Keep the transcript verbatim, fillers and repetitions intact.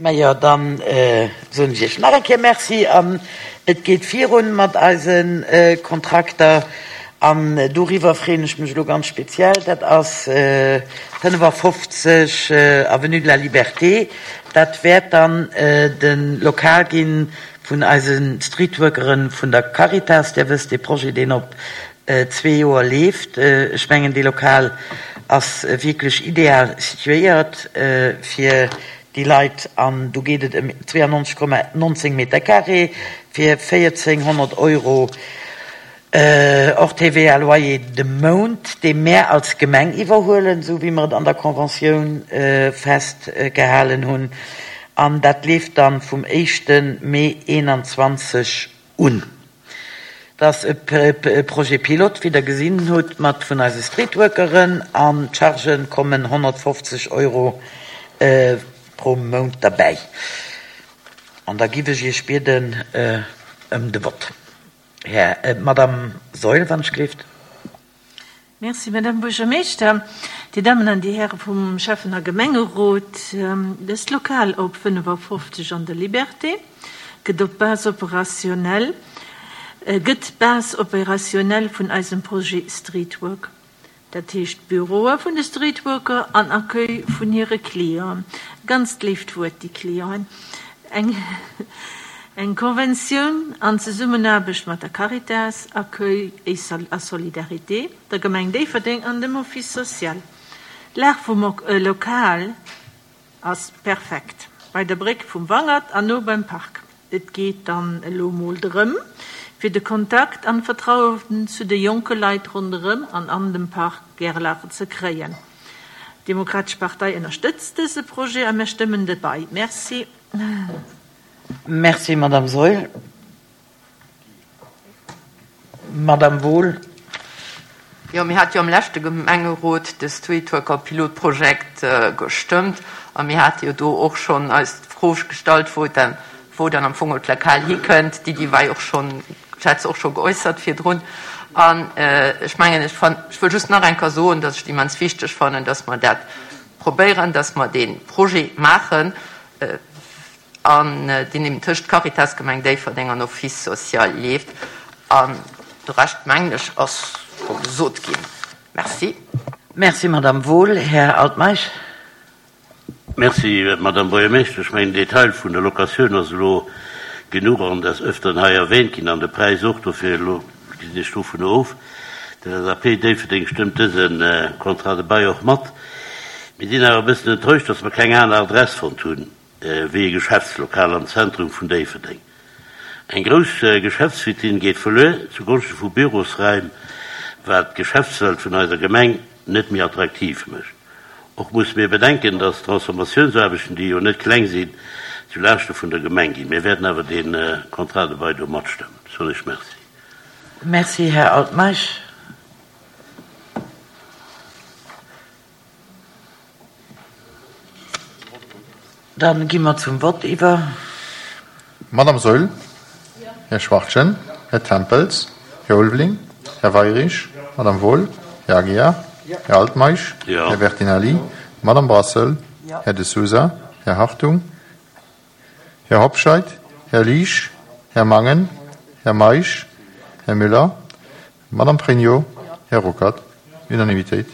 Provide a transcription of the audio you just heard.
Majo, dann soen ech Iech nach eng Kéier Merci an et geet virun mat eise Kontrakter an doriwwer freeën ech mech elo ganz speziell. Dat ass fënnefafofzeg Avenue de la Liberté. Dat wäert dann de Lokal gi vun eise Streetworkere vun der Caritas. Dir wësst, dee Projet, deen op zwee Joer leeft. Ech mengen, dee Lokal ass wierklech ideal situéiert fir déi Leit an do geet et ëm zweeannonzeg Komma nonzéng Meter carré fir véierzénghonnert Euro hors T V A Loyer de Mount, dee mär als Gemeng iwwerhuelen, esou wéi mer et an der Conventioun festgehalen hunn. An dat leeft dann vum éischte Mee eenanzwanzeg un. Dat ass e Projet pilote, wéi Der gesinn hutt, mat vun eise Streetworkeren an d'Chargen kommen honnertfofzeg Euro pro Mount derbäi. An da giff ech Iech bieden ëm de Vott. Här, Madame Saeul, wann ech gleeft. Merci, Madame Buergermeeschter. Dir Dammen an Dir Häre vum Schäffen a Gemengerot, dëst Lokal op fënnefafofzeg an der Liberté gëtt op Base opérationnelle, gëtt Base opérationnelle vun eisem Projet Streetwork. Dat heescht Büroe vun de Streetworker an Accueil vun hire Clienten. Ganzt léift Wuert, déi Clienten. Eng eng Konventioun an Zesummenaarbecht mat der Caritas, Accueil a Solidarité, der Gemeng Déifferdeng an dem Office social. D'Lag vum Lokal ass perfekt, bei der Bréck vum Wangert an no beim Park. Et geet dann elo mol drëm, fir de Kontakt an d'Vertrauen zu de jonke Leit ronderëm an an dem Park Gerlache ze kréien. D'Demokratesch Partei ënnerstëtzt dëse Projet a mir stëmmen de bei. Merci. Merci, Madame Saeul. Madame Wohl. Jo, mir hate jo am leschte Gemengerot de Streetworker-Pilotprojekt gestëmmt a mir hate jo do och schonn eis d'Fro gestallt, wou dann, wou dann am Fong d'Lokal hikënnt. D'Iddi war jo och schonn, ech hat se och scho geäussert virdrun. An ech mengen, ech fann, ech wëll just nach eng Kéier soen, dass ech et immens wichteg fannen, dass mer dat probéieren, dass mer dee Projet maachen an deen eben tëscht Caritas Gemeng Déifferdeng an Office social leeft. An de Rescht, mengen ech, ass scho gesot ginn. Merci. Merci, Madame Wohl. Här Altmeisch. Merci, Madame Buergermeeschtesch. Ech mengen, den Detail vun der Locatioun ass elo genuch an des Öfteren hei erwähnt ginn an de Präis och. Dofir elo gesinn ech dovun of. D' L S A P Déifferdeng stëmmt dëse Contrat de bail och mat. Mir sinn awer e bëssen enttäuscht, dass mer keng aner Adress fonnt hunn wéi e Geschäftslokal am Zentrum vun Déifferdeng. Eng grouss Geschäftsvitrinn geet verluer zugonschte vu Bürosraim, wat d'Geschäftswelt vun eiser Gemeng net méi attraktiv mécht. Och musse mir bedenken, dass d'Transformatiounsaarbechten, déi jo net kleng sinn, zu Laaschte vun der Gemeng ginn. Mir wäerten awer dee Contrat de bail do matstëmmen. Soen ech Merci. Merci, Här Altmeisch. Dann gi mer zum Vott iwwer. Madame Saeul, Här Schwachtgen, Här Tempels, Här Ulveling, Här Weirich, Madame Wohl, Här Aguiar, Här Altmeisch, Här Bertinelli, Madame Brassel, Här De Sousa, Här Hartung, Här Hobscheit, Här Liesch, Här Mangen, Här Meisch, Här Müller, Madame Pregno, Här Ruckert. Unanimitéit.